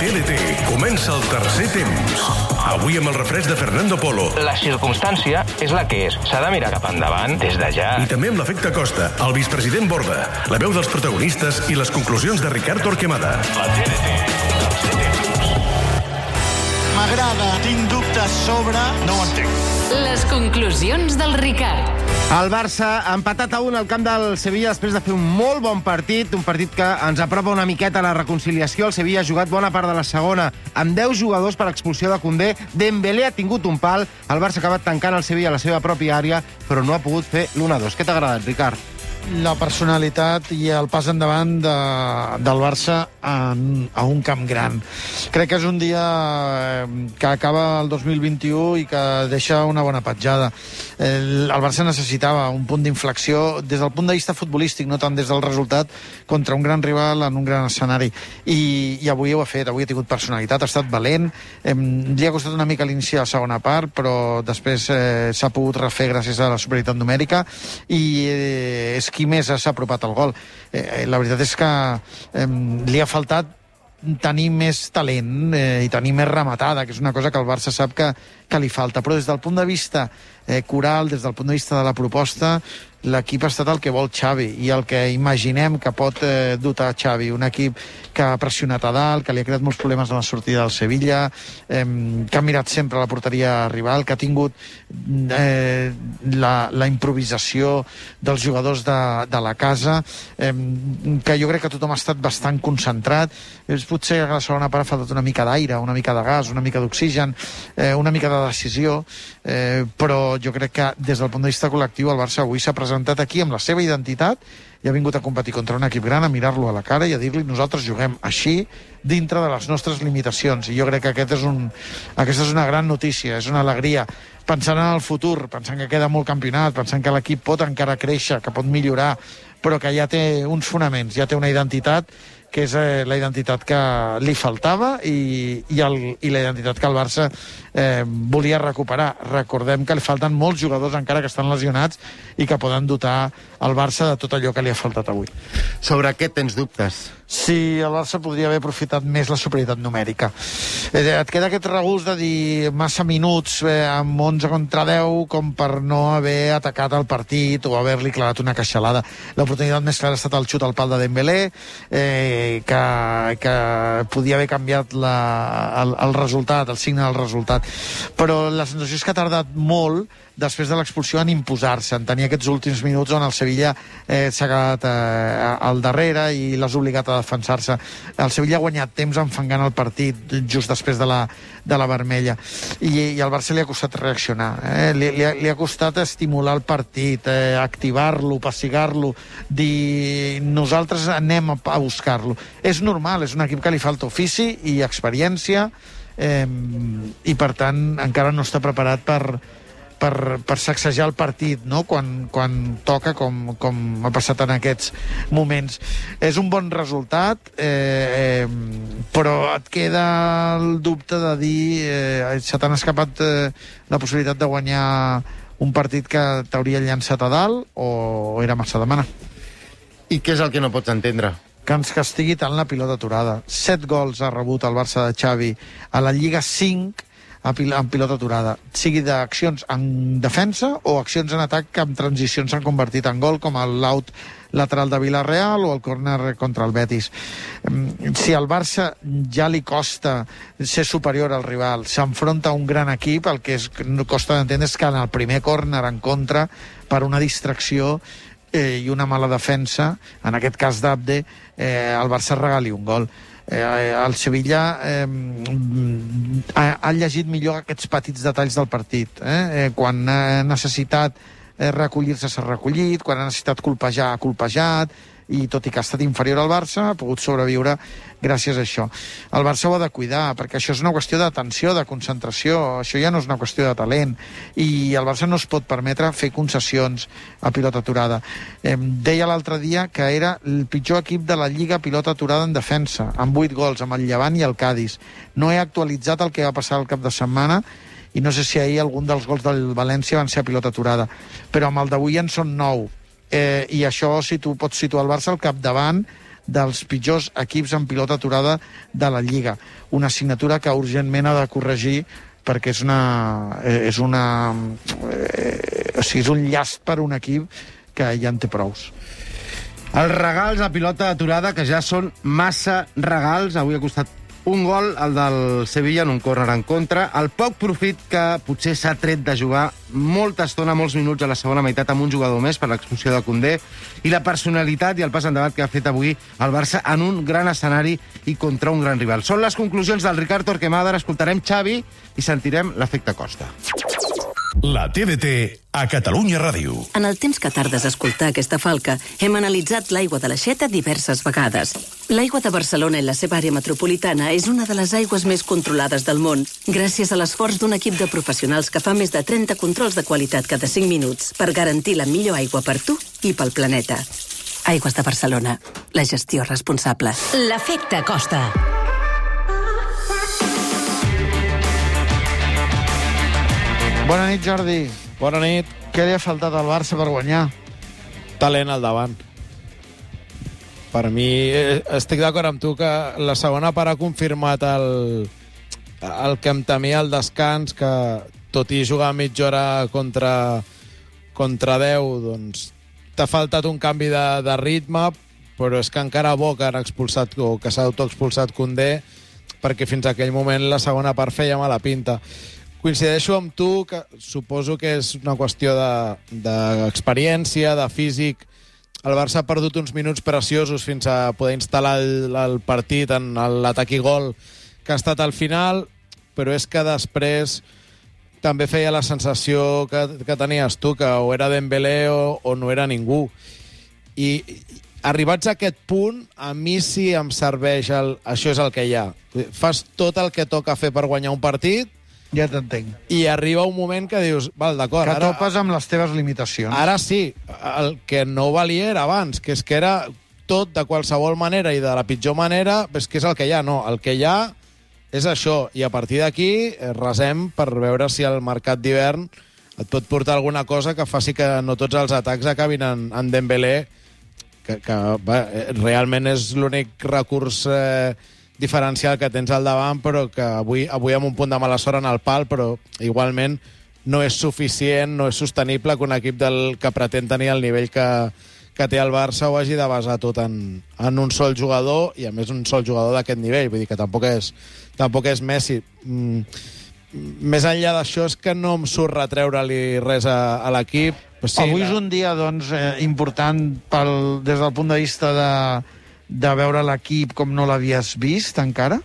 TDT comença el tercer temps. Avui amb el refresc de Fernando Polo. La circumstància és la que és. S'ha de mirar cap endavant des de ja. I també amb l'efecte Costa, el vicepresident Borda, la veu dels protagonistes i les conclusions de Ricard Torquemada. La TDT, tercer temps. M'agrada, tinc dubtes sobre... No ho entenc. Les conclusions del Ricard. El Barça ha empatat a 1 al camp del Sevilla després de fer un molt bon partit, un partit que ens apropa una miqueta a la reconciliació. El Sevilla ha jugat bona part de la segona amb 10 jugadors per expulsió de Koundé. Dembélé ha tingut un pal, el Barça ha acabat tancant el Sevilla a la seva pròpia àrea, però no ha pogut fer l'1-2. Què t'ha agradat, Ricard? La personalitat i el pas endavant del Barça a un camp gran. Crec que és un dia que acaba el 2021 i que deixa una bona petjada. El Barça necessitava un punt d'inflexió des del punt de vista futbolístic, no tant des del resultat, contra un gran rival en un gran escenari. I avui ho ha fet, avui ha tingut personalitat, ha estat valent. Li ha costat una mica l'inici de la segona part, però després s'ha pogut refer gràcies a la superioritat numèrica i és qui més s'ha apropat al gol. La veritat és que li ha faltat tenir més talent i tenir més rematada, que és una cosa que el Barça sap que li falta. Però des del punt de vista coral, des del punt de vista de la proposta, l'equip ha estat el que vol Xavi i el que imaginem que pot dotar Xavi. Un equip que ha pressionat a dalt, que li ha creat molts problemes en la sortida del Sevilla, que ha mirat sempre la porteria rival, que ha tingut la improvisació dels jugadors de la casa, que jo crec que tothom ha estat bastant concentrat. Potser a la segona part ha faltat una mica d'aire, una mica de gas, una mica d'oxigen, una mica de decisió, però jo crec que des del punt de vista col·lectiu el Barça avui s'ha presentat aquí amb la seva identitat i ha vingut a competir contra un equip gran, a mirar-lo a la cara i a dir-li nosaltres juguem així dintre de les nostres limitacions. I jo crec que aquesta és una gran notícia, és una alegria. Pensant en el futur, pensant que queda molt campionat, pensant que l'equip pot encara créixer, que pot millorar, però que ja té uns fonaments, ja té una identitat que és la identitat que li faltava i la identitat que el Barça volia recuperar. Recordem que li falten molts jugadors encara que estan lesionats i que poden dotar el Barça de tot allò que li ha faltat avui. Sobre què tens dubtes? Sí, el Barça podria haver aprofitat més la superioritat numèrica. Et queda aquest regust de dir massa minuts amb 11 contra 10 com per no haver atacat el partit o haver-li clavat una queixalada. L'oportunitat més clara ha estat el xut al pal de Dembélé, que podia haver canviat el resultat, el signe del resultat. Però la sensació és que ha tardat molt després de l'expulsió en imposar-se, en tenir aquests últims minuts on el Sevilla s'ha quedat al darrere i l'has obligat a defensar-se. El Sevilla ha guanyat temps enfangant el partit just després de la vermella i al Barça li ha costat reaccionar, li ha costat estimular el partit, activar-lo, passigar-lo, dir nosaltres anem a buscar-lo. És normal, és un equip que li falta ofici i experiència i per tant encara no està preparat per sacsejar el partit, no? quan toca, com ha passat en aquests moments. És un bon resultat, però et queda el dubte de dir se t'han escapat la possibilitat de guanyar un partit que t'hauria llançat a dalt o era massa demanar. I què és el que no pots entendre? Que ens castigui tant la pilota aturada. 7 gols ha rebut el Barça de Xavi a la Lliga, 5 en pilota aturada, sigui d'accions en defensa o accions en atac que amb transicions s'han convertit en gol, com l'out lateral de Villarreal o el córner contra el Betis. Si al Barça ja li costa ser superior al rival, s'enfronta a un gran equip, el que costa d'entendre és que en el primer córner en contra, per una distracció i una mala defensa, en aquest cas d'Abde, el Barça regali un gol. El Sevilla ha llegit millor aquests petits detalls del partit. Quan ha necessitat recollir-se s'ha recollit, quan ha necessitat colpejar ha colpejat, i tot i que ha estat inferior al Barça, ha pogut sobreviure gràcies a això. El Barça ho ha de cuidar, perquè això és una qüestió d'atenció, de concentració, això ja no és una qüestió de talent, i el Barça no es pot permetre fer concessions a pilota aturada. Deia l'altre dia que era el pitjor equip de la Lliga a pilota aturada en defensa, amb 8 gols, amb el Llevant i el Cádiz. No he actualitzat el que va passar el cap de setmana, i no sé si ahir algun dels gols del València van ser a pilota aturada, però amb el d'avui en són 9. I això, si tu pots situar el Barça al capdavant dels pitjors equips en pilota aturada de la Lliga. Una assignatura que urgentment ha de corregir perquè és un llast per un equip que ja en té prous. Els regals a pilota aturada, que ja són massa regals. Avui ha costat un gol, el del Sevilla, en un córner en contra. El poc profit que potser s'ha tret de jugar molta estona, molts minuts a la segona meitat amb un jugador més per l'expulsió de Koundé, i la personalitat i el pas endavant que ha fet avui el Barça en un gran escenari i contra un gran rival. Són les conclusions del Ricard Torquemada. Ara escoltarem Xavi i sentirem l'efecte Costa. La TDT a Catalunya Ràdio. En el temps que tardes a escoltar aquesta falca, hem analitzat l'aigua de l'Aixeta diverses vegades. L'aigua de Barcelona i la seva àrea metropolitana és una de les aigües més controlades del món, gràcies a l'esforç d'un equip de professionals que fa més de 30 controls de qualitat cada 5 minuts per garantir la millor aigua per tu i pel planeta. Aigües de Barcelona. La gestió responsable. L'efecte Costa. Bona nit, Jordi. Bona nit. Què li ha faltat al Barça per guanyar? Talent al davant. Per mi, estic d'acord amb tu que la segona part ha confirmat el que em temia al descans, que tot i jugar mitja hora contra 10, doncs t'ha faltat un canvi de ritme, però és que encara bo que han expulsat, o que s'ha autoexpulsat Koundé, perquè fins a aquell moment la segona part feia mala pinta. Coincideixo amb tu, que suposo que és una qüestió d'experiència, de físic. El Barça ha perdut uns minuts preciosos fins a poder instal·lar el partit en l'atac i gol que ha estat al final, però és que després també feia la sensació que tenies tu, que o era Dembélé o no era ningú. I arribats a aquest punt, a mi sí em serveix això és el que hi ha. Fas tot el que toca fer per guanyar un partit, Ja t'entenc. i arriba un moment que dius, val, d'acord, Que topes amb les teves limitacions. ara sí, el que no valia era abans, que és que era tot de qualsevol manera i de la pitjor manera, és que és el que hi ha. No, el que hi ha és això, i a partir d'aquí resem per veure si el mercat d'hivern et pot portar alguna cosa que faci que no tots els atacs acabin en Dembélé, que realment és l'únic recurs diferencial que tens al davant, però que avui amb un punt de mala sort en el pal, però igualment no és suficient, no és sostenible que un equip que pretén tenir el nivell que té el Barça ho hagi de basar tot en un sol jugador, i a més un sol jugador d'aquest nivell, vull dir que tampoc és Messi. Més enllà d'això és que no em surt retreure-li res a l'equip. Sí, avui és un dia important des del punt de vista de veure l'equip com no l'havies vist encara?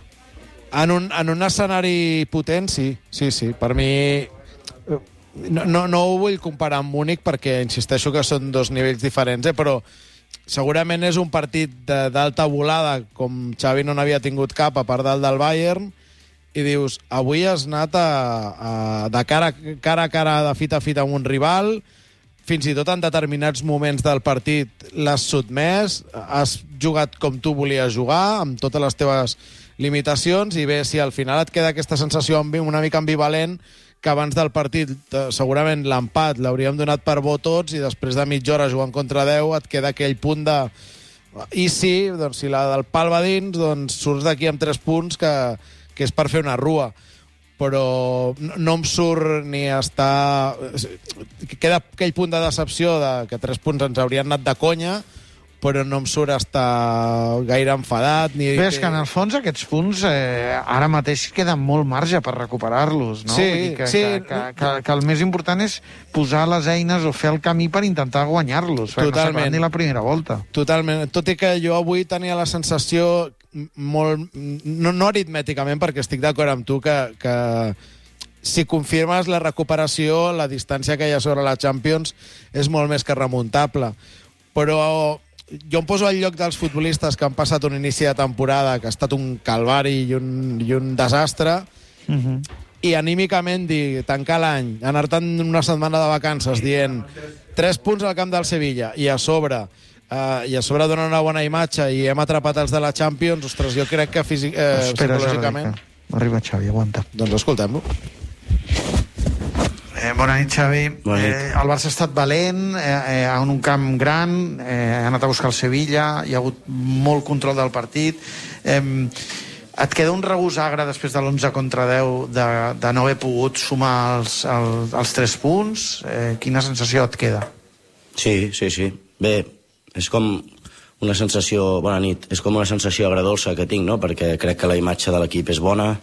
En un escenari potent, sí. Per mi no ho vull comparar amb Múnich perquè insisteixo que són dos nivells diferents, però segurament és un partit d'alta volada, com Xavi no n'havia tingut cap a part del Bayern, i dius, avui has anat de cara a cara, de fit a fit amb un rival, fins i tot en determinats moments del partit l'has sotmès, has jugat com tu volies jugar, amb totes les teves limitacions, i bé, si al final et queda aquesta sensació una mica ambivalent, que abans del partit segurament l'empat l'hauríem donat per bo tots, i després de mitja hora jugant contra 10 et queda aquell punt de... I sí, doncs si la del pal va dins, doncs surts d'aquí amb 3 punts, que és per fer una rua. Però no em surt ni estar... Queda aquell punt de decepció que 3 punts ens haurien anat de conya, però no em surt estar gaire enfadat. Bé, és que en el fons aquests punts ara mateix queda molt marge per recuperar-los, no? Sí, que el més important és posar les eines o fer el camí per intentar guanyar-los. Totalment. No ni la primera volta. Totalment. Tot i que jo avui tenia la sensació molt... No aritmèticament, perquè estic d'acord amb tu que si confirmes la recuperació, la distància que hi ha sobre la Champions és molt més que remuntable. Però jo em poso al lloc dels futbolistes que han passat un inici de temporada que ha estat un calvari i un desastre, i anímicament tancar l'any, anar-te'n una setmana de vacances dient 3 punts al camp del Sevilla i a sobre donar una bona imatge i hem atrapat els de la Champions, ostres, jo crec que psicològicament... Arriba Xavi, aguanta. Doncs escoltem-lo. Bona nit, Xavi. Bona nit. El Barça ha estat valent en un camp gran, ha anat a buscar el Sevilla, hi ha hagut molt control del partit. Et queda un regust agre després de l'11 contra 10 de no haver pogut sumar els 3 punts? Quina sensació et queda? Sí. Bé, és com una sensació... Bona nit. És com una sensació agradolça que tinc, no? Perquè crec que la imatge de l'equip és bona,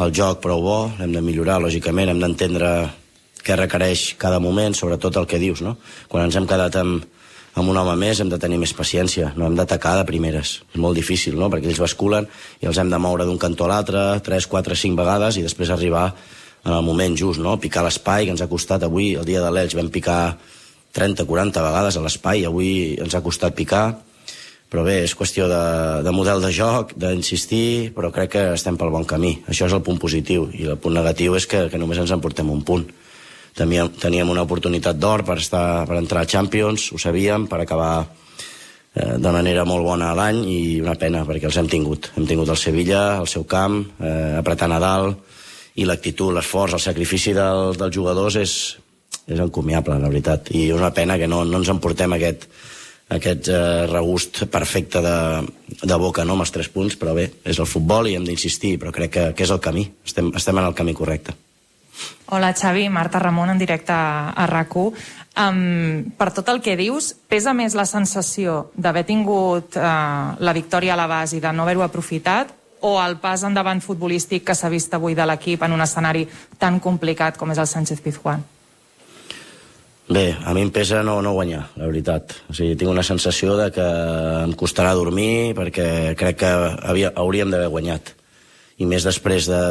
el joc prou bo, l'hem de millorar, lògicament, hem d'entendre què requereix cada moment, sobretot el que dius, no? Quan ens hem quedat amb un home més hem de tenir més paciència, no hem d'atacar de primeres. És molt difícil, no? Perquè ells basculen i els hem de moure d'un cantó a l'altre 3, 4, 5 vegades i després arribar en el moment just, no? Picar l'espai, que ens ha costat avui, el dia de l'Elx, vam picar 30, 40 vegades a l'espai, avui ens ha costat picar. Però bé, és qüestió de model de joc, d'insistir, però crec que estem pel bon camí. Això és el punt positiu, i el punt negatiu és que només ens emportem un punt. Teníem una oportunitat d'or per entrar a Champions, ho sabíem, per acabar de manera molt bona l'any, i una pena, perquè els hem tingut. Hem tingut el Sevilla, el seu camp, apretant a dalt, i l'actitud, l'esforç, el sacrifici dels jugadors és encomiable, la veritat. I una pena que no ens emportem aquest regust perfecte de boca, no, amb els 3 punts, però bé, és el futbol i hem d'insistir, però crec que és el camí, estem en el camí correcte. Hola, Xavi, Marta Ramon, en directe a RAC1. Per tot el que dius, pesa més la sensació d'haver tingut la victòria a la base i de no haver-ho aprofitat, o el pas endavant futbolístic que s'ha vist avui de l'equip en un escenari tan complicat com és el Sánchez-Pizjuán? Bé, a mi em pesa no guanyar, la veritat. O sigui, tinc una sensació de que em costarà dormir perquè crec que hauríem d'haver guanyat. I més després de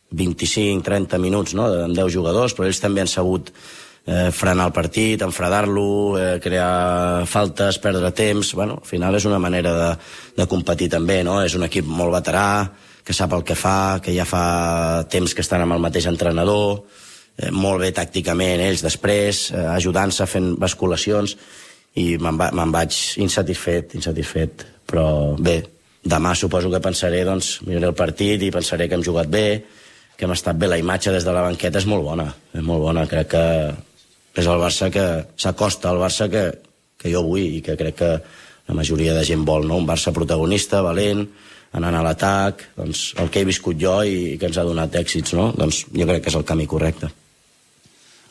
25-30 minuts, no?, amb 10 jugadors, però ells també han sabut frenar el partit, enfredar-lo, crear faltes, perdre temps. Bueno, al final és una manera de competir també, no? És un equip molt veterà, que sap el que fa, que ja fa temps que estan amb el mateix entrenador, molt bé tàcticament ells després, ajudant-se, fent basculacions, i me'n vaig insatisfet, però bé, demà suposo que pensaré, doncs, miraré el partit i pensaré que hem jugat bé, que hem estat bé, la imatge des de la banqueta és molt bona, crec que és el Barça que s'acosta al Barça que jo vull i que crec que la majoria de gent vol, no? Un Barça protagonista, valent, anant a l'atac, doncs el que he viscut jo i que ens ha donat èxits, no? Doncs jo crec que és el camí correcte.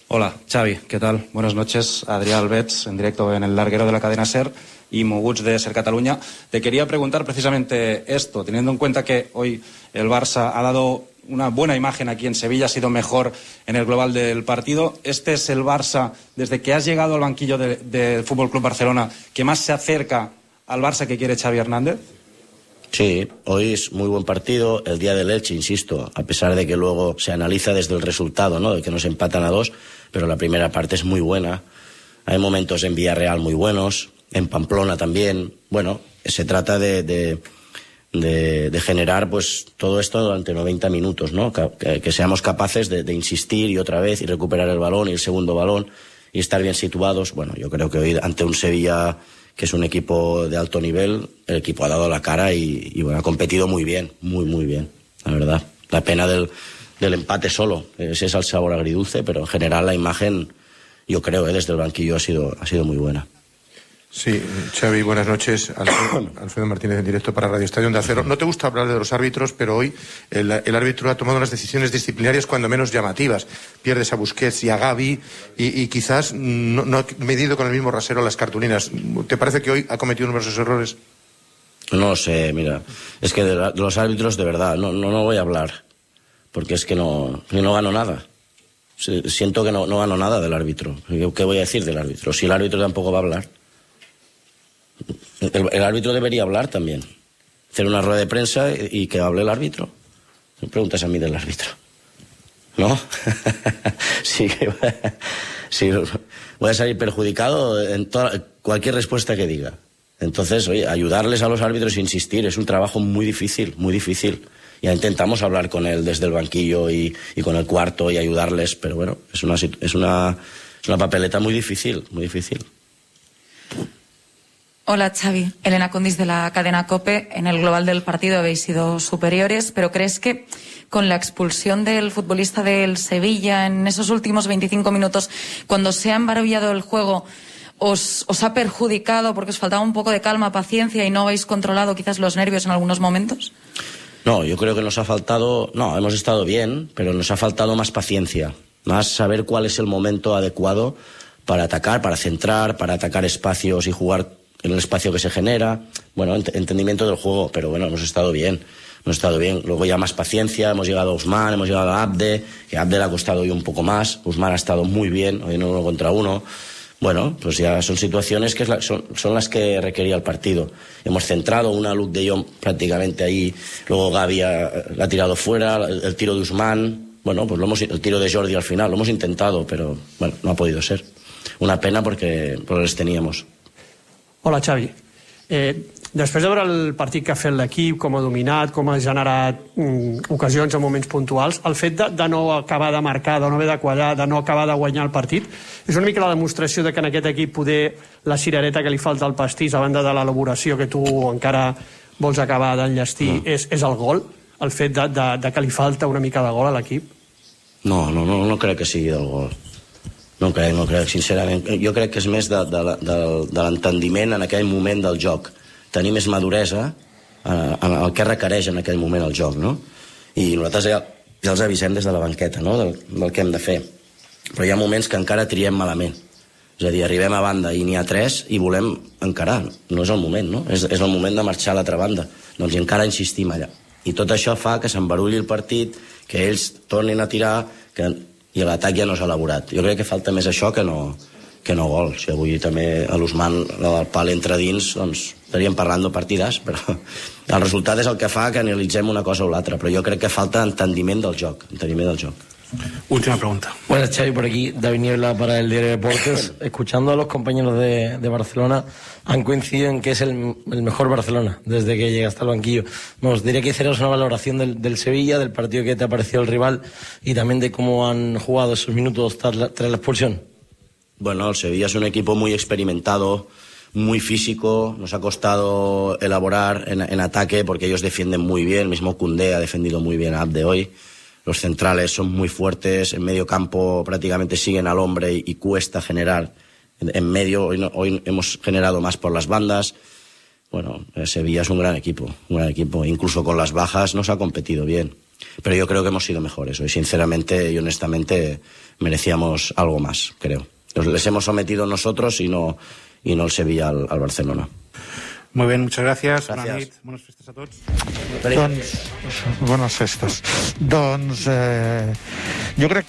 Hola, Xavi, ¿qué tal? Buenas noches. Adrián Albets, en directo en el larguero de la cadena SER y Moguts de SER Cataluña. Te quería preguntar precisamente esto, teniendo en cuenta que hoy el Barça ha dado una buena imagen aquí en Sevilla, ha sido mejor en el global del partido. ¿Este es el Barça, desde que has llegado al banquillo del Fútbol Club Barcelona, que más se acerca al Barça que quiere Xavi Hernández? Sí, hoy es muy buen partido. El día del Elche, insisto, a pesar de que luego se analiza desde el resultado, ¿no?, de que nos empatan a 2, pero la primera parte es muy buena. Hay momentos en Villarreal muy buenos, en Pamplona también. Bueno, se trata de generar pues todo esto durante 90 minutos, ¿no? Que seamos capaces de insistir y otra vez y recuperar el balón y el segundo balón y estar bien situados. Bueno, yo creo que hoy ante un Sevilla que es un equipo de alto nivel, el equipo ha dado la cara y bueno, ha competido muy bien, muy bien, la verdad. La pena del empate solo, ese es el sabor agridulce, pero en general la imagen, yo creo, desde el banquillo ha sido muy buena. Sí, Xavi, buenas noches. Alfredo Martínez en directo para Radio Estadio Onda Cero. No te gusta hablar de los árbitros, pero hoy el árbitro ha tomado unas decisiones disciplinarias cuando menos llamativas. Pierdes a Busquets y a Gavi y quizás no ha medido con el mismo rasero las cartulinas. ¿Te parece que hoy ha cometido numerosos errores? No sé, mira, es que de los árbitros de verdad no voy a hablar, porque es que no gano nada. Siento que no gano nada del árbitro. ¿Qué voy a decir del árbitro? Si el árbitro tampoco va a hablar. El árbitro debería hablar también. Hacer una rueda de prensa y que hable el árbitro. Me preguntas a mí del árbitro. ¿No? Sí, voy a salir perjudicado en cualquier respuesta que diga. Entonces, oye, ayudarles a los árbitros e insistir es un trabajo muy difícil, muy difícil. Ya intentamos hablar con él desde el banquillo y con el cuarto y ayudarles, pero bueno, es una papeleta muy difícil, muy difícil. Hola Xavi, Elena Condis de la cadena COPE. En el global del partido habéis sido superiores, pero ¿crees que con la expulsión del futbolista del Sevilla en esos últimos 25 minutos, cuando se ha embarullado el juego, os ha perjudicado porque os faltaba un poco de calma, paciencia y no habéis controlado quizás los nervios en algunos momentos? No, yo creo que nos ha faltado... No, hemos estado bien, pero nos ha faltado más paciencia, más saber cuál es el momento adecuado para atacar, para centrar, para atacar espacios y jugar en el espacio que se genera. Bueno, entendimiento del juego, pero bueno, hemos estado bien. Luego ya más paciencia, hemos llegado a Ousmane, hemos llegado a Abde, que a Abde le ha costado hoy un poco más. Ousmane ha estado muy bien, hoy en 1 contra 1. Bueno, pues ya son situaciones que son las que requería el partido. Hemos centrado una Luke de Jong prácticamente ahí, luego Gavi la ha tirado fuera, el tiro de Ousmane, bueno, pues el tiro de Jordi al final, lo hemos intentado, pero bueno, no ha podido ser. Una pena porque les teníamos. Hola, Xavi. Després de veure el partit que ha fet l'equip, com ha dominat, com ha generat ocasions en moments puntuals, el fet de no acabar de marcar, de no haver de quallar, de no acabar de guanyar el partit, és una mica la demostració de que en aquest equip poder la cirereta que li falta al pastís, a banda de l'elaboració que tu encara vols acabar d'enllestir, és el gol, el fet de que li falta una mica de gol a l'equip? No crec que sigui del gol. No crec, sincerament. Jo crec que és més de l'entendiment en aquell moment del joc. Tenir més maduresa en el que requereix en aquell moment el joc, no? I nosaltres ja els avisem des de la banqueta, no?, del que hem de fer. Però hi ha moments que encara triem malament. És a dir, arribem a banda i n'hi ha 3 i volem encarar. No és el moment, no? És el moment de marxar a l'altra banda. Doncs encara insistim allà. I tot això fa que s'embarulli el partit, que ells tornin a tirar, i l'atac ja no s'ha elaborat. Jo crec que falta més això que no gol. Si avui també a l'Ousmane el pal entra dins, doncs estaríem parlant de partidàs, però el resultat és el que fa que analitzem una cosa o l'altra, però jo crec que falta entendiment del joc. Última pregunta. Buenas, Xavi, por aquí, David Niebla para el Diario de Deportes. Escuchando a los compañeros de Barcelona, han coincidido en que es el mejor Barcelona desde que llegaste al banquillo. Nos diría que hicieras una valoración del Sevilla, del partido que te ha parecido el rival y también de cómo han jugado esos minutos tras la expulsión. Bueno, el Sevilla es un equipo muy experimentado, muy físico, nos ha costado elaborar en ataque porque ellos defienden muy bien, el mismo Koundé ha defendido muy bien a Abde hoy. Los centrales son muy fuertes, en medio campo prácticamente siguen al hombre y cuesta generar. En medio, hoy hemos generado más por las bandas. Bueno, Sevilla es un gran equipo. Incluso con las bajas nos ha competido bien. Pero yo creo que hemos sido mejores. Hoy, sinceramente y honestamente, merecíamos algo más, creo. Les hemos sometido nosotros y no el Sevilla al Barcelona. Muy bien, muchas gracias. Bona nit, bones festes a tots. Bones festes. Doncs jo crec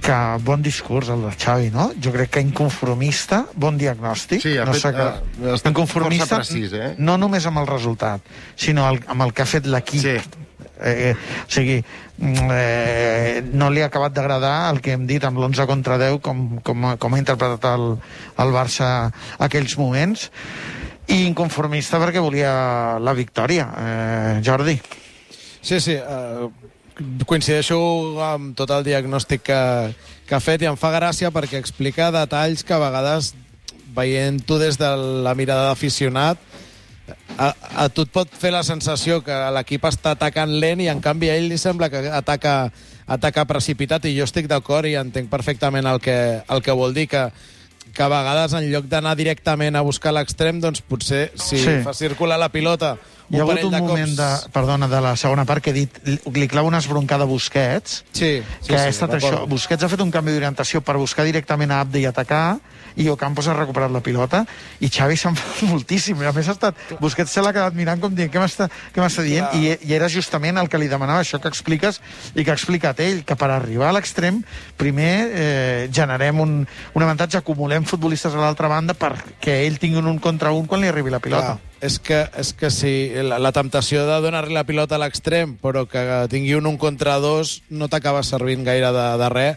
que bon discurs el de Xavi, no? Jo crec que inconformista, bon diagnòstic. Sí, inconformista, precís, no només amb el resultat, sinó amb el que ha fet l'equip. Sí. O sigui, no li ha acabat d'agradar el que hem dit amb l'11 contra 10 com ha interpretat el Barça aquells moments, i inconformista perquè volia la victòria. Jordi? Sí, coincideixo amb tot el diagnòstic que ha fet i em fa gràcia perquè explica detalls que a vegades, veient-ho des de la mirada d'aficionat, a tu et pot fer la sensació que l'equip està atacant lent i en canvi a ell li sembla que ataca precipitat, i jo estic d'acord i entenc perfectament el que vol dir, que a vegades en lloc d'anar directament a buscar l'extrem, doncs potser si fa circular la pilota hi ha hagut un moment de la segona part que he dit, li clava una esbroncada a Busquets, que ha estat això. Busquets ha fet un canvi d'orientació per buscar directament a Abde i atacar, i Ocampos ha recuperat la pilota, i Xavi se'n fa moltíssim. A més, Busquets se l'ha quedat mirant com dient què m'està dient, i era justament el que li demanava, això que expliques i que ha explicat ell, que per arribar a l'extrem primer generem un avantatge, acumulem futbolistes a l'altra banda perquè ell tingui un contra un quan li arribi la pilota. És que si la temptació de donar-li la pilota a l'extrem però que tingui un contra dos no t'acaba servint gaire de res,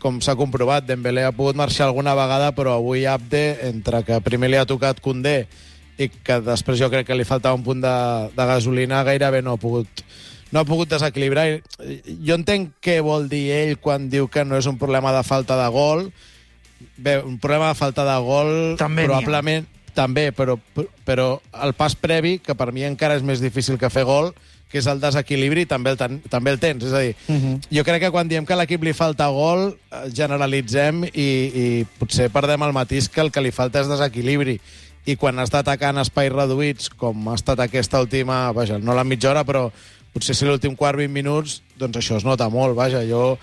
com s'ha comprovat. Dembélé ha pogut marxar alguna vegada, però avui Abde, entre que primer li ha tocat Koundé i que després jo crec que li faltava un punt de gasolina, gairebé no ha pogut desequilibrar. Jo entenc què vol dir ell quan diu que no és un problema de falta de gol. Bé, un problema de falta de gol també, però el pas previ, que per mi encara és més difícil que fer gol, que és el desequilibri, també el tens. És a dir, jo crec que quan diem que a l'equip li falta gol, generalitzem i potser perdem el matís que el que li falta és desequilibri. I quan està atacant espais reduïts, com ha estat aquesta última, vaja, no la mitja hora, però potser si l'últim quart, 20 minuts, doncs això es nota molt, vaja. Jo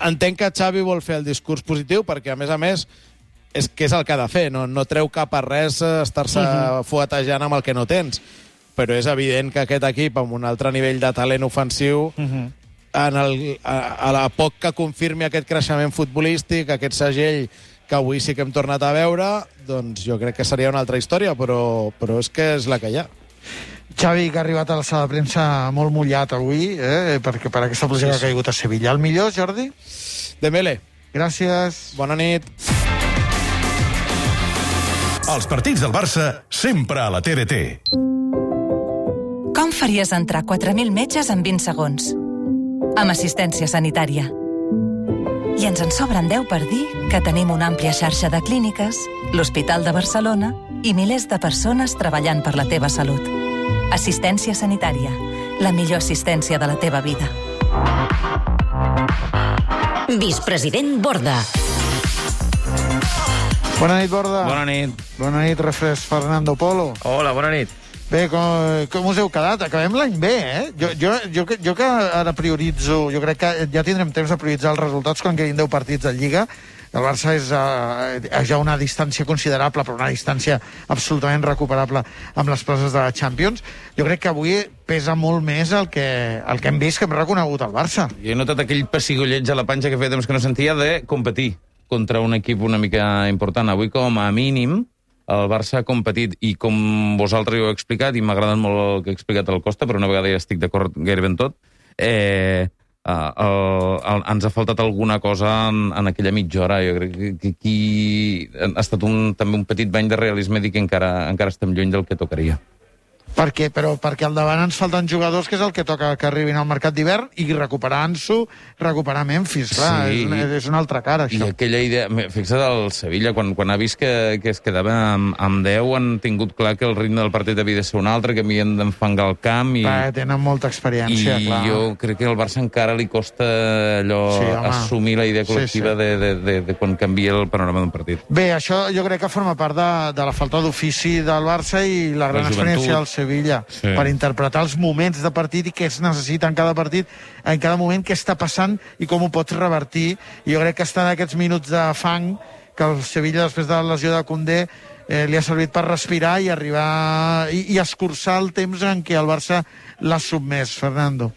entenc que Xavi vol fer el discurs positiu, perquè, a més, és que és el que ha de fer, no treu cap a res estar-se fuetejant amb el que no tens. Però és evident que aquest equip, amb un altre nivell de talent ofensiu, a la poc que confirmi aquest creixement futbolístic, aquest segell que avui sí que hem tornat a veure, doncs jo crec que seria una altra història, però és que és la que hi ha. Xavi, que ha arribat a la sala de premsa molt mullat avui, perquè per aquesta pluja que ha caigut a Sevilla. El millor, Jordi? Dembélé. Gràcies. Bona nit. Els partits del Barça sempre a la TDT. Com faries entrar 4.000 metges en 20 segons? Amb assistència sanitària. I ens en sobren 10 per dir que tenim una àmplia xarxa de clíniques, l'Hospital de Barcelona i milers de persones treballant per la teva salut. Assistència sanitària, la millor assistència de la teva vida. Vicepresident Borda. Bona nit, Borda. Bona nit. Bona nit, refresc Fernando Polo. Hola, bona nit. Bé, com us heu quedat? Acabem l'any bé, Jo que ara prioritzo, jo crec que ja tindrem temps de prioritzar els resultats quan quedin 10 partits de Lliga. El Barça és ja una distància considerable, però una distància absolutament recuperable amb les places de la Champions. Jo crec que avui pesa molt més el que hem vist, que hem reconegut al Barça. Jo he notat aquell pessigolleig a la panxa que feia temps que no sentia de competir contra un equip una mica important. Avui, com a mínim, el Barça ha competit, i com vosaltres ho heu explicat, i m'ha agradat molt el que ha explicat el Costa, però una vegada ja estic d'acord gairebé en tot, ens ha faltat alguna cosa en aquella mitja hora. Jo crec que aquí ha estat també un petit bany de realisme, dir que encara estem lluny del que tocaria. Per què? Però perquè al davant ens falten jugadors, que és el que toca que arribin al mercat d'hivern, i recuperar Ansu, recuperar Memphis. Clar, sí, és una altra cara, això. I aquella idea... Fixa't el Sevilla, quan ha vist que es quedava amb 10, han tingut clar que el ritme del partit havia de ser un altre, que havien d'enfangar el camp. Tenen molta experiència, clar. I jo crec que al Barça encara li costa assumir la idea col·lectiva de quan canvia el panorama d'un partit. Bé, això jo crec que forma part de la falta d'ofici del Barça i la gran experiència del Sevilla, per interpretar els moments de partit i què es necessita en cada partit, en cada moment, què està passant i com ho pots revertir. I jo crec que estan aquests minuts de fang que el Sevilla, després de la lesió de Koundé, li ha servit per respirar i arribar i escurçar el temps en què el Barça l'ha submès. Fernando.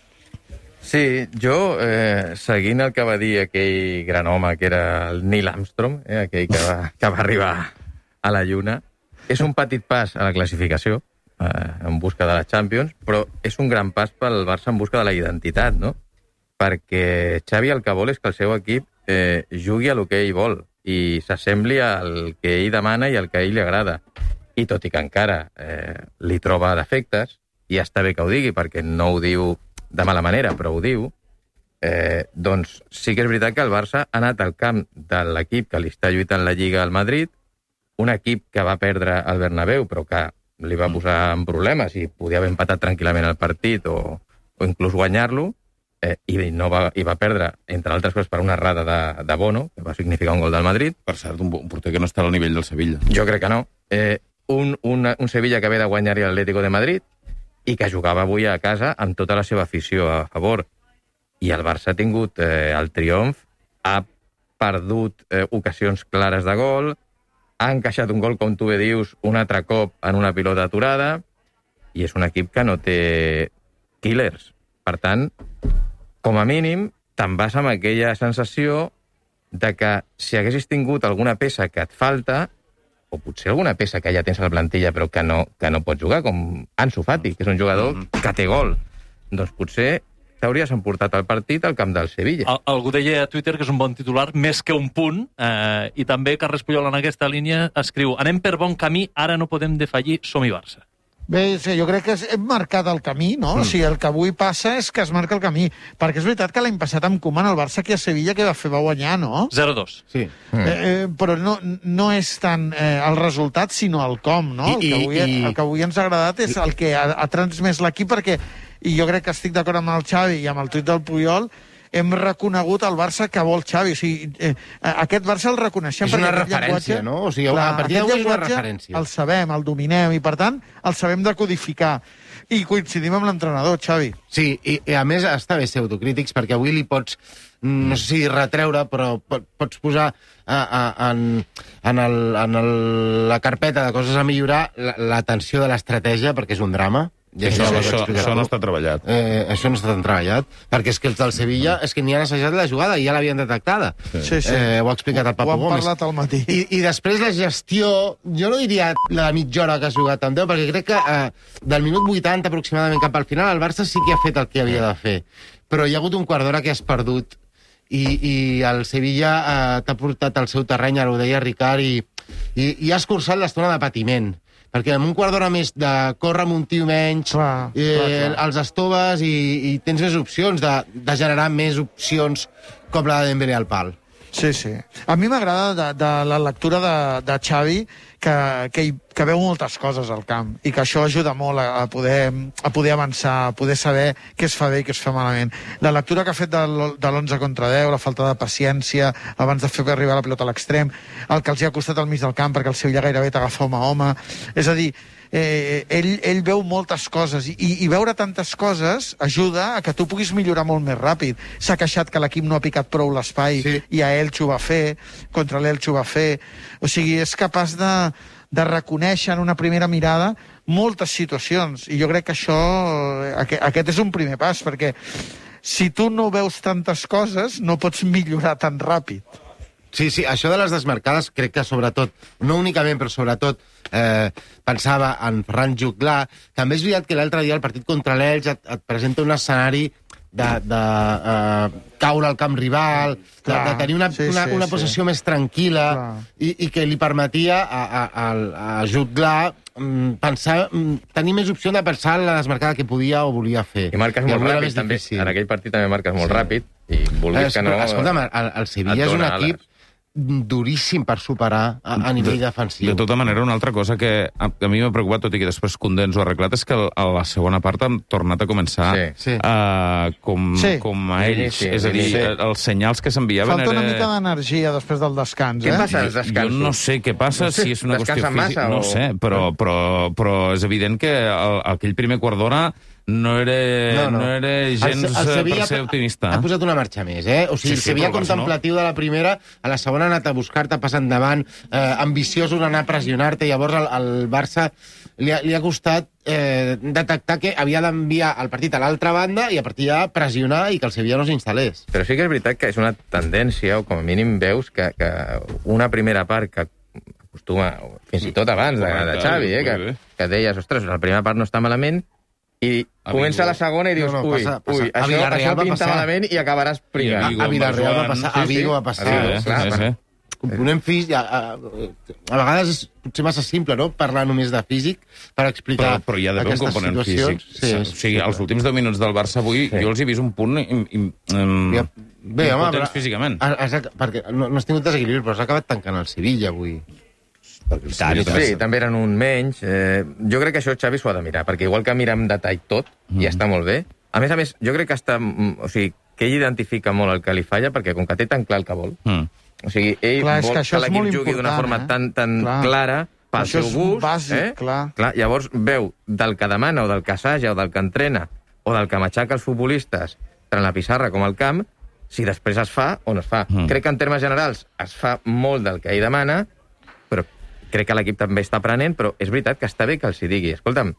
Sí, jo, seguint el que va dir aquell gran home que era el Neil Armstrong, aquell que va arribar a la Lluna, és un petit pas a la classificació, en busca de la Champions, però és un gran pas pel Barça en busca de la identitat, no? Perquè Xavi el que vol és que el seu equip jugui a lo que ell vol i s'assembli al que ell demana i al que a ell li agrada. I tot i que encara li troba defectes, i està bé que ho digui perquè no ho diu de mala manera, però ho diu, doncs sí que és veritat que el Barça ha anat al camp de l'equip que li està lluitant la Lliga al Madrid, un equip que va perdre al Bernabéu, però que li va posar en problemes i podia haver empatat tranquil·lament el partit o inclús guanyar-lo, i va perdre, entre altres coses, per una errada de Bono, que va significar un gol del Madrid. Per cert, un porter que no està al nivell del Sevilla. Jo crec que no. Un Sevilla que ve de guanyar l'Atlético de Madrid i que jugava avui a casa amb tota la seva afició a favor. I el Barça ha tingut el triomf, ha perdut ocasions clares de gol, ha encaixat un gol, com tu bé dius, un altre cop en una pilota aturada, i és un equip que no té killers. Per tant, com a mínim, te'n vas amb aquella sensació de que si haguessis tingut alguna peça que et falta, o potser alguna peça que ja tens a la plantilla però que no pots jugar, com Ansu Fati, que és un jugador que té gol, doncs potser t'hauries emportat el partit al camp del Sevilla. Algú deia a Twitter que és un bon titular, més que un punt, i també Carles Puyol en aquesta línia escriu: anem per bon camí, ara no podem defallir, som-hi Barça. Bé, sí, jo crec que hem marcat el camí, no? O sigui, el que avui passa és que es marca el camí. Perquè és veritat que l'any passat amb Koeman el Barça aquí a Sevilla que va guanyar, no? 0-2. Sí. Però no és tant el resultat, sinó el com, no? El que avui ens ha agradat és el que ha transmès l'equip, perquè, i jo crec que estic d'acord amb el Xavi i amb el tuit del Puyol, hem reconegut el Barça que vol Xavi. O sigui, aquest Barça el reconeixem. És una referència, no? O sigui, a partir d'avui és una referència. El sabem, el dominem, i per tant, el sabem decodificar. I coincidim amb l'entrenador, Xavi. Sí, i a més està bé ser autocrítics, perquè avui li pots, no sé si retreure, però pots posar en la carpeta de coses a millorar l'atenció de l'estratègia, perquè és un drama. Això no està treballat. Això no està tan treballat, perquè és que els del Sevilla és que ni han assajat la jugada i ja l'havien detectada. Sí. Ho ha explicat el Papu Gómez. Ho han parlat al matí. I després la gestió, jo no diria la mitja hora que has jugat amb 10, perquè crec que del minut 80 aproximadament cap al final el Barça sí que ha fet el que havia de fer. Però hi ha hagut un quart d'hora que has perdut i el Sevilla t'ha portat al seu terreny, ara ho deia Ricard, i ha escurçat l'estona de patiment. Perquè amb un quart d'hora més de córrer amb un tio menys, els estoves i tens més opcions de generar més opcions com la de Dembélé al pal. Sí. A mi m'agrada de la lectura de Xavi que veu moltes coses al camp i que això ajuda molt a poder avançar, a poder saber què es fa bé i què es fa malament. La lectura que ha fet de l'11 contra 10, la falta de paciència abans de fer arribar la pilota a l'extrem, el que els hi ha costat al mig del camp perquè el Sevilla gairebé t'agafa home a home. És a dir, ell veu moltes coses i veure tantes coses ajuda a que tu puguis millorar molt més ràpid. S'ha queixat que l'equip no ha picat prou l'espai i a Elx ho va fer, contra l'Elx ho va fer. O sigui, és capaç de reconèixer en una primera mirada moltes situacions, i jo crec que aquest és un primer pas, perquè si tu no veus tantes coses no pots millorar tan ràpid. Sí, això de les desmarcades crec que sobretot, no únicament, però sobretot pensava en Ferran Juclà. També és veritat que l'altre dia el partit contra l'Elx et presenta un escenari de caure al camp rival, de tenir una possessió més tranquil·la i que li permetia a Juclà tenir més opció de pensar en la desmarcada que podia o volia fer. I marques molt ràpid, també. En aquell partit també marques molt ràpid i vulguis que no... Escolta'm, el Sevilla és un equip duríssim per superar a nivell defensiu. De tota manera, una altra cosa que a mi m'ha preocupat, tot i que després Koundé ens ho ha arreglat, és que a la segona part han tornat a començar com a ells. És a dir, els senyals que s'enviaven... Falta una mica d'energia després del descans. Què passa als descansos? Jo no sé què passa, si és una qüestió física... No sé, però és evident que aquell primer quart d'hora no era gens per ser optimista. Ha posat una marxa més, O sigui, el Sevilla contemplatiu de la primera, a la segona ha anat a buscar-te, passant endavant, ambiciós un anar a pressionar-te, llavors al Barça li ha costat detectar que havia d'enviar el partit a l'altra banda i a partir de pressionar i que el Sevilla no s'instal·lés. Però sí que és veritat que és una tendència, o com a mínim veus, que una primera part que acostuma, fins i tot abans de Xavi, que deies, ostres, la primera part no està malament, i comença la segona i dius, això pinta malament i acabaràs pringant. A Villarreal va passar, a Vigo va passar. Component físic, a vegades és potser massa simple, no?, parlar només de físic per explicar però hi ha d'haver un component físic. O sigui, els últims 10 minuts del Barça avui jo els he vist un punt impotents físicament. Perquè no has tingut desequilibri, però has acabat tancant el Sevilla avui. Sí, també eren un menys. Jo crec que això Xavi s'ho ha de mirar, perquè igual que mira amb detall tot, i està molt bé. A més, jo crec que que ell identifica molt el que li falla, perquè com que té tan clar el que vol, o sigui, ell vol que l'equip jugui d'una forma tan clara pel seu gust. Bàsic, clar. Llavors veu del que demana, o del que assaja, o del que entrena, o del que matxaca els futbolistes, tant la pissarra com al camp, si després es fa o no es fa. Crec que en termes generals es fa molt del que ell demana, però crec que l'equip també està aprenent, però és veritat que està bé que els hi digui. Escolta'm,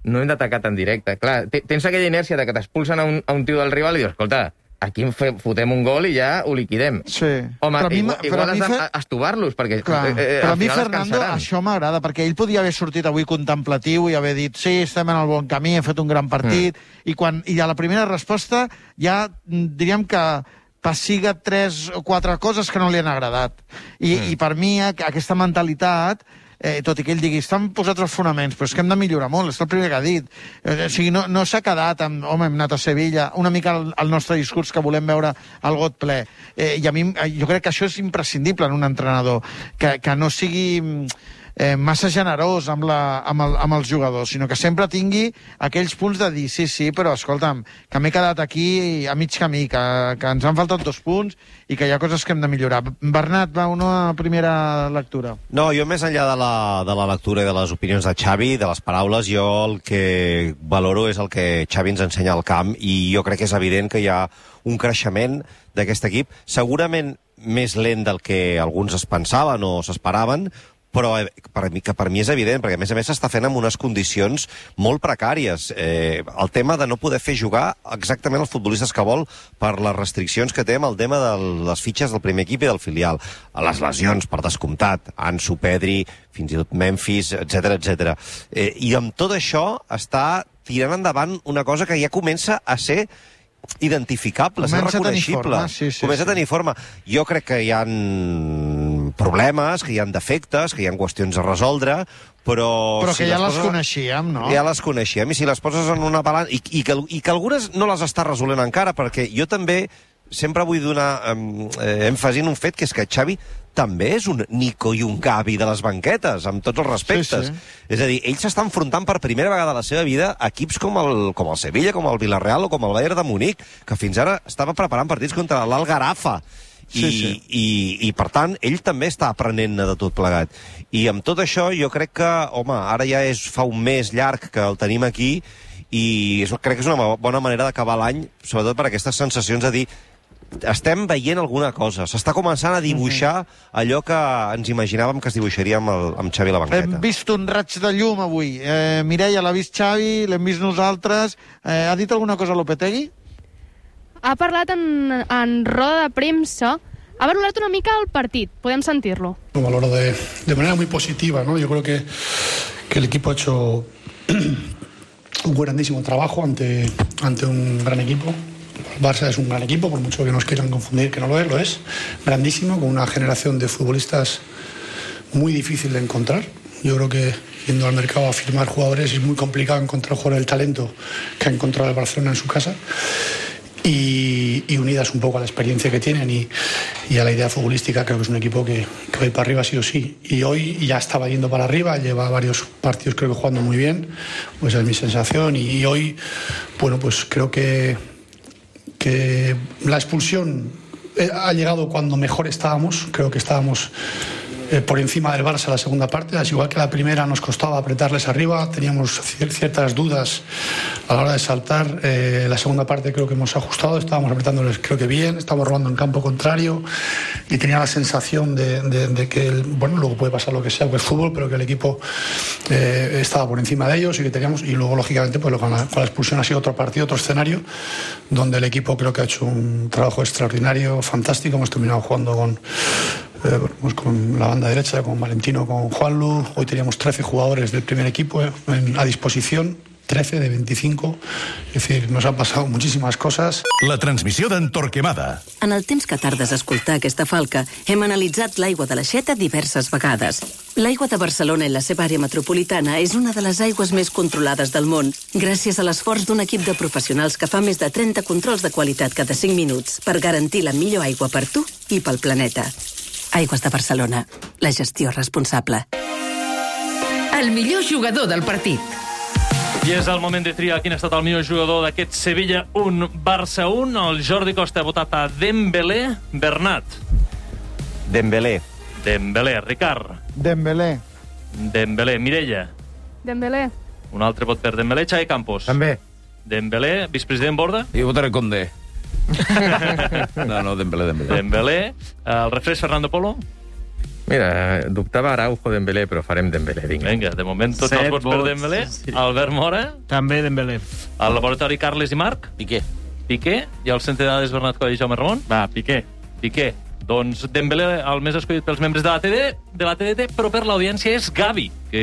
no hem d'atacar tan directe. Clar, tens aquella inèrcia de que t'expulsen a un tio del rival i dius, escolta, aquí fotem un gol i ja ho liquidem. Sí. Home, igual has d'estovar-los, perquè però a mi, Fernando, això m'agrada, perquè ell podia haver sortit avui contemplatiu i haver dit, sí, estem en el bon camí, hem fet un gran partit, i a la primera resposta ja diríem que passiga 3 o 4 coses que no li han agradat. I per mi aquesta mentalitat tot i que ell digui, estan posats els fonaments, però és que hem de millorar molt, és el primer que ha dit. O sigui, no s'ha quedat amb, home, hem anat a Sevilla, una mica el nostre discurs que volem veure al got ple. I a mi, jo crec que això és imprescindible en un entrenador, que no sigui massa generós amb els jugadors, sinó que sempre tingui aquells punts de dir, sí, però escolta'm, que m'he quedat aquí a mig camí, que ens han faltat 2 punts i que hi ha coses que hem de millorar. Bernat, va, una primera lectura. No, jo més enllà de la lectura i de les opinions de Xavi, de les paraules, jo el que valoro és el que Xavi ens ensenya al camp, i jo crec que és evident que hi ha un creixement d'aquest equip, segurament més lent del que alguns es pensaven o s'esperaven, però per mi és evident, perquè a més s'està fent en unes condicions molt precàries. El tema de no poder fer jugar exactament els futbolistes que vol per les restriccions que té amb el tema de les fitxes del primer equip i del filial. A les lesions, per descomptat, Ansu, Pedri, fins i tot Memphis, etc. I amb tot això està tirant endavant una cosa que ja comença a ser identificable, ser reconeixible. Comença a tenir forma. Jo crec que hi ha problemes, que hi ha defectes, que hi ha qüestions a resoldre, però que ja les coneixíem, no? Ja les coneixíem, i si les poses en una balança... I que algunes no les està resolent encara, perquè jo també sempre vull donar èmfasi en un fet, que és que Xavi també és un Nico i un Gavi de les banquetes, amb tots els respectes. És a dir, ell s'està enfrontant per primera vegada a la seva vida a equips com el Sevilla, com el Villarreal o com el Bayern de Munic, que fins ara estava preparant partits contra l'Algarafa. I per tant, ell també està aprenent de tot plegat. I amb tot això, jo crec que, home, ara ja fa un mes llarg que el tenim aquí, i crec que és una bona manera d'acabar l'any, sobretot per aquestes sensacions de dir estem veient alguna cosa, s'està començant a dibuixar allò que ens imaginàvem que es dibuixaria amb Xavi a la banqueta. Hem vist un raig de llum avui. Mireia l'ha vist Xavi, l'hem vist nosaltres. Ha dit alguna cosa Lopetegui? Ha parlat en roda de premsa, ha valorat una mica el partit, podem sentir-lo. Lo valoro de manera muy positiva, ¿no? Yo creo que el equipo ha hecho un grandísimo trabajo ante un gran equipo. El Barça es un gran equipo, por mucho que nos quieran confundir, que no lo es grandísimo, con una generación de futbolistas muy difícil de encontrar. Yo creo que yendo al mercado a firmar jugadores es muy complicado encontrar jugadores del talento que ha encontrado el Barcelona en su casa, y unidas un poco a la experiencia que tienen y a la idea futbolística, creo que es un equipo que va a ir para arriba sí o sí, y hoy ya estaba yendo para arriba, lleva varios partidos creo que jugando muy bien, pues esa es mi sensación, y hoy, bueno, pues creo que la expulsión ha llegado cuando mejor estábamos. Creo que estábamos por encima del Barça la segunda parte, al igual que la primera nos costaba apretarles arriba, teníamos ciertas dudas a la hora de saltar. La segunda parte creo que hemos ajustado, estábamos apretándoles creo que bien, estábamos robando en campo contrario, y tenía la sensación de que, bueno, luego puede pasar lo que sea, que es fútbol, pero que el equipo estaba por encima de ellos, y que teníamos, y luego lógicamente pues con la expulsión ha sido otro partido, otro escenario, donde el equipo creo que ha hecho un trabajo extraordinario, fantástico. Hemos terminado jugando con la banda derecha, con Valentino, con Juanlu. Hoy teníamos 13 jugadores del primer equipo a disposición, 13 de 25. És decir, nos han passat moltíssimes coses. La transmissió d'en Torquemada. En el temps que tardes a escoltar aquesta falca, hem analitzat l'aigua de l'Aixeta diverses vegades. L'aigua de Barcelona i la seva àrea metropolitana és una de les aigües més controlades del món, gràcies a l'esforç d'un equip de professionals que fa més de 30 controls de qualitat cada 5 minuts per garantir la millor aigua per tu i pel planeta. Aigües de Barcelona. La gestió responsable. El millor jugador del partit. I és el moment de triar quin ha estat el millor jugador d'aquest Sevilla 1, Barça 1. El Jordi Costa ha votat a Dembélé. Bernat. Dembélé. Dembélé. Ricard. Dembélé. Dembélé. Mireia. Dembélé. Un altre vot per Dembélé. Xavi Campos. També. Dembélé. Vicepresident Borda. Jo votaré Condé. No, Dembélé. Dembélé. El refresc Fernando Polo. Mira, dubtava Araujo Dembélé, però farem Dembélé, vinga. Vinga, de moment tots els vots per Dembélé. Sí. Albert Mora. També Dembélé. El laboratori Carles i Marc. Piqué. Piqué. I el centre de dades Bernat Coll i Jaume Ramon. Va, Piqué. Piqué. Doncs Dembélé, el més escollit pels membres de la TDT, però per l'audiència és Gavi, que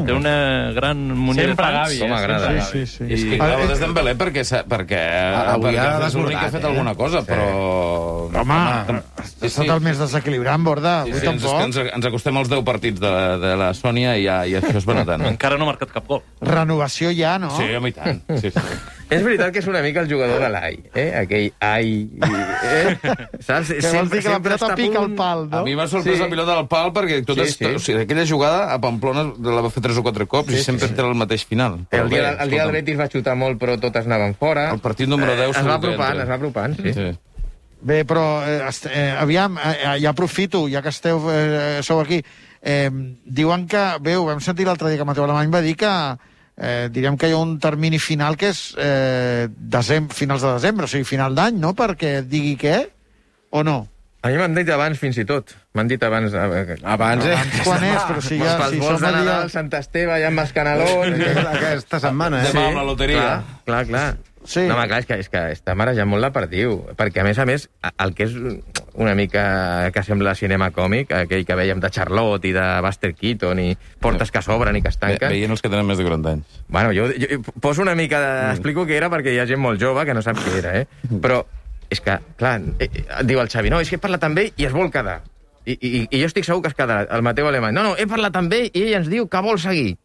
té una gran munió de fans. Sempre Gavi, Com m'agrada. Sí. És que clar, és Dembélé perquè és l'únic que ha fet alguna cosa, però... Home, ha estat el més desequilibrant, Borda. Ens acostem als 10 partits de la Sònia i això es va notant. Encara no ha marcat cap gol. Renovació ja, no? Sí, home, i tant. Sí. És veritat que és una mica el jugador de l'ai, aquell ai... Saps? Que vols dir que la pilota pica al pal, no? A mi m'ha sorprès la pilota al pal perquè aquella jugada a Pamplona la va fer 3 o 4 cops i sempre era el mateix final. El dia del Betis va xutar molt, però totes anaven fora. El partit número 10 es va apropant, sí. Bé, però aviam, ja aprofito, ja que sou aquí. Diuen que, bé, ho vam sentir l'altre dia que Mateu Alemany va dir que direm que hi ha un termini final que és finals de desembre, o sigui, final d'any, no? Perquè digui què, o no? A mi m'han dit abans, fins i tot. M'han dit abans... Abans, Quan és? Però si ja... Pels vols de Nadal, Sant Esteve, ja amb els canelons... Aquesta setmana, Demà amb la loteria. Clar. Sí. No, home, clar, és que està marejant molt la perdiu. Perquè, a més, el que és una mica que sembla cinema còmic, aquell que veiem de Charlotte i de Buster Keaton i portes que s'obren i que es tanquen... Veient els que tenen més de 40 anys. Bueno, jo poso una mica explico què era perquè hi ha gent molt jove que no sap què era, Però és que, clar, diu el Xavi, no, és que he parlat amb ell i es vol quedar. I jo estic segur que es quedarà. El Mateu Alemany, no, he parlat amb ell i ell ens diu que vol seguir.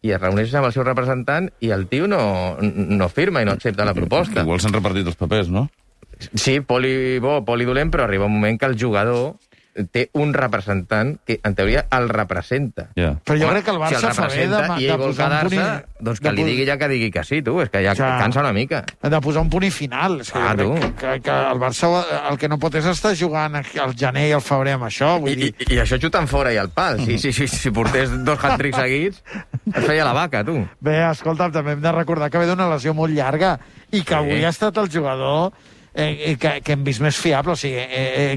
I es reuneix amb el seu representant i el tio no firma i no accepta la proposta. Igual s'han repartit els papers, no? Sí, poli bo, poli dolent, però arriba un moment que el jugador té un representant que, en teoria, el representa. Yeah. Però jo crec que el Barça fa bé de posar un punt... Doncs que li digui ja que digui que sí, tu. És que ja cansa una mica. De posar un punt i final. És que jo crec que el Barça el que no pot és estar jugant al gener i al febrer amb això. I això xutant fora i al pal. Si portés 2 hat-tricks seguits, es feia la vaca, tu. Bé, escolta'm, també hem de recordar que ve d'una lesió molt llarga i que avui ha estat el jugador... que hem vist més fiable. O sigui,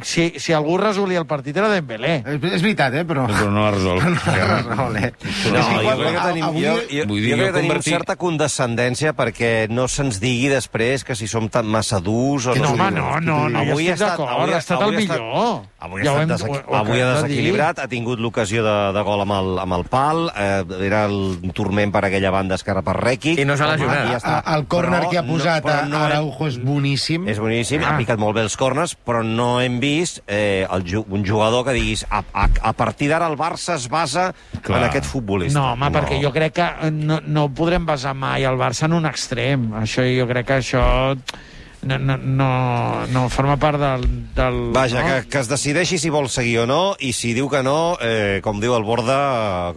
si algú resolia el partit era Dembélé. És veritat, però... Però no l'ha resolt. Jo crec que tenim certa condescendència perquè no se'ns digui després que si som tan massa durs o no. No, avui ha estat el millor. Avui ha desequilibrat, ha tingut l'ocasió de gol amb el pal, era el turment per aquella banda esquerra per Rekic. I no s'ha lesionat. El córner que ha posat Araujo és boníssim. És boníssim, ha picat molt bé els corners, però no hem vist un jugador que diguis a partir d'ara el Barça es basa en aquest futbolista. No, home, perquè jo crec que no podrem basar mai el Barça en un extrem. Jo crec que això no forma part del Vaja, que es decideixi si vol seguir o no, i si diu que no, com diu el Borda,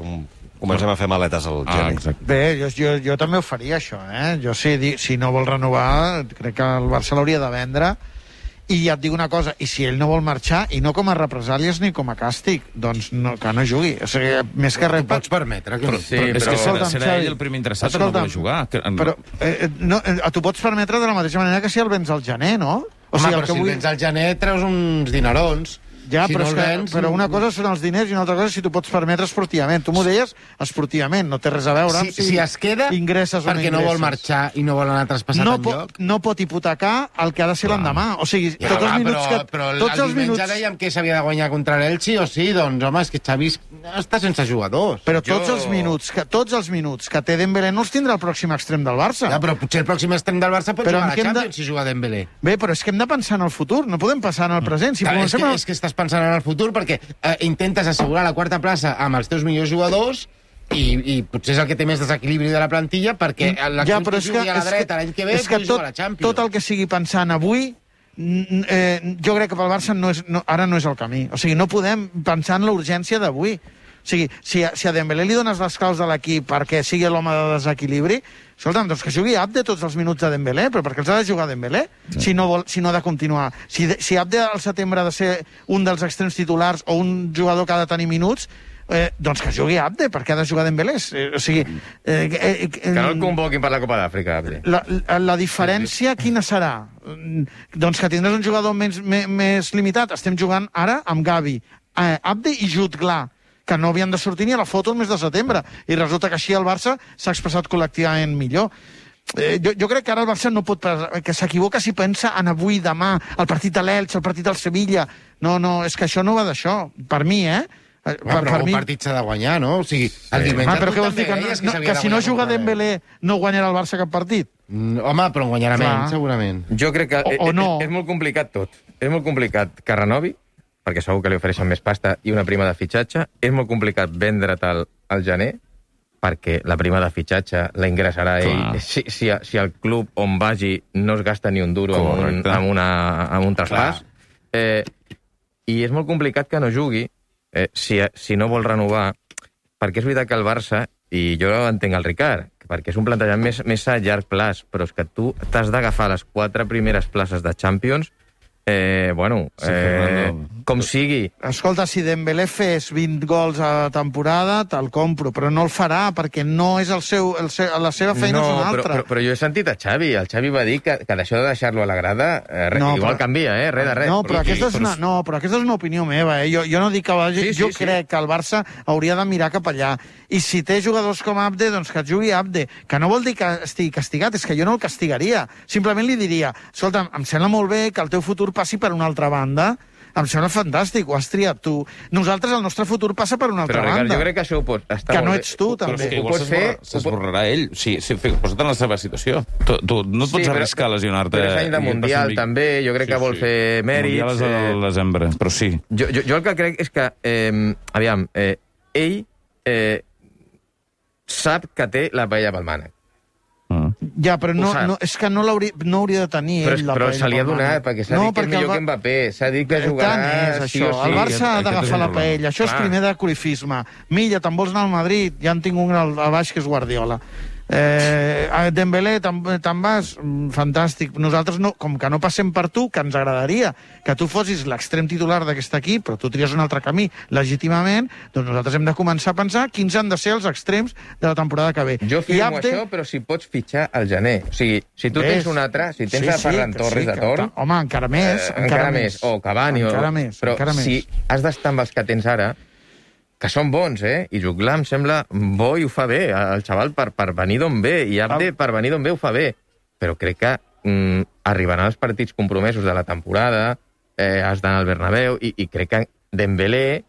comencem a fer maletes al gener. Bé, jo també ho faria, això. Jo, si no vol renovar, crec que el Barça l'hauria de vendre. I ja et dic una cosa, i si ell no vol marxar, i no com a represàlies ni com a càstig, doncs que no jugui. O sigui, més que res... Pots permetre que no. És que serà ell el primer interessat en no poder jugar. Però tu pots permetre de la mateixa manera que si el vens al gener, no? Home, però si el vens al gener treus uns dinerons. Ja, però una cosa són els diners i una altra cosa si tu pots permetre esportivament. Tu m'ho deies esportivament, no té res a veure amb si es queda ingresses o no ingresses. Perquè no vol marxar i no vol anar traspassat enlloc. No pot hipotecar el que ha de ser l'endemà. O sigui, tots els minuts que... Però el diumenge dèiem que s'havia de guanyar contra l'Elche o sí, doncs home, és que Xavi està sense jugadors. Però tots els minuts que té Dembélé no els tindrà el pròxim extrem del Barça. Ja, però potser el pròxim extrem del Barça pot jugar a la Champions si juga Dembélé. Bé, però és que hem de pensar en el futur, no podem pensar en el present. És que estàs pensant en el futur perquè intentes assegurar la quarta plaça amb els teus millors jugadors i potser és el que té més desequilibri de la plantilla perquè l'equip que jugui a la dreta l'any que ve pugui jugar a la Champions. Tot el que sigui pensant avui jo crec que pel Barça ara no és el camí. O sigui, no podem pensar en la urgència d'avui. O sigui, si a Dembélé li dones les claus de l'equip perquè sigui l'home de desequilibri, escolta'm, doncs que jugui Abde tots els minuts de Dembélé, però perquè els ha de jugar Dembélé, si no ha de continuar. Si Abde al setembre ha de ser un dels extrems titulars o un jugador que ha de tenir minuts, doncs que jugui Abde, perquè ha de jugar Dembélé. O sigui... que no el convoquin per la Copa d'Àfrica, Abde. La diferència quina serà? Doncs que tindràs un jugador més limitat. Estem jugant ara amb Gavi, Abde i Jutglar, que no havien de sortir ni a la foto el mes de setembre, i resulta que així el Barça s'ha expressat col·lectivament millor. Jo crec que ara el Barça no pot... que s'equivoca si pensa en avui, demà, el partit de l'Elx, el partit del Sevilla. No, és que això no va d'això. Per mi, Però un partit s'ha de guanyar, no? O sigui, el diumenge però què vols dir? Que si no juga Dembélé no guanyarà el Barça cap partit? Home, però en guanyarà menys, segurament. Jo crec que no. És molt complicat tot. És molt complicat que renovi, perquè segur que li ofereixen més pasta i una prima de fitxatge. És molt complicat vendre't al gener, perquè la prima de fitxatge la ingressarà ell. Si el club on vagi no es gasta ni un duro amb un traspàs. I és molt complicat que no jugui si no vol renovar, perquè és veritat que el Barça, i jo entenc el Ricard, perquè és un plantejament més a llarg plaç, però és que tu t'has d'agafar les 4 primeres places de Champions, com sigui. Escolta, si Dembélé fes 20 gols a la temporada, te'l compro, però no el farà, perquè no és la seva feina és una altra. Però jo he sentit a Xavi. El Xavi va dir que d'això de deixar-lo a la grada, igual canvia, res de res. No, però aquesta és una opinió meva. Jo no dic que vagi... Jo crec que el Barça hauria de mirar cap allà. I si té jugadors com Abde, doncs que jugui Abde. Que no vol dir que estigui castigat, és que jo no el castigaria. Simplement li diria, escolta, em sembla molt bé que el teu futur passi per una altra banda. Em sembla fantàstic, ho has triat tu. Nosaltres, el nostre futur passa per una altra banda. Però, Ricard, jo crec que això ho pots... Que no ets tu, també. Però és que igual s'esborrarà ell. Sí, posa't en la seva situació. Tu no et pots arriscar a lesionar-te. Però és any de Mundial, també. Jo crec que vol fer mèrits. Mundial és al desembre, però sí. Jo el que crec és que, ell sap que té la paella pel mànec. Ja, però és que no hauria de tenir ell la paella. Però se li ha donat, perquè s'ha dit que és millor que Mbappé. S'ha dit que jugarà sí o sí. El Barça ha d'agafar la paella. Això és primer de corifisme. Milla, te'n vols anar al Madrid? Ja en tinc un al baix, que és Guardiola. Dembélé, te'n vas? Fantàstic. Nosaltres, com que no passem per tu, que ens agradaria que tu fossis l'extrem titular d'aquest equip, però tu tries un altre camí legítimament, doncs nosaltres hem de començar a pensar quins han de ser els extrems de la temporada que ve. Jo firmo això, però si pots fitxar al gener. O sigui, si tu tens un altre, si tens a Ferran Torres de torn... Home, encara més. O Cavani. Però si has d'estar amb els que tens ara, que són bons, i Jutglar em sembla bo i ho fa bé, el xaval per venir d'on ve, i Abde per venir d'on ve ho fa bé, però crec que arribaran els partits compromesos de la temporada, has d'anar al Bernabéu, i crec que Dembélé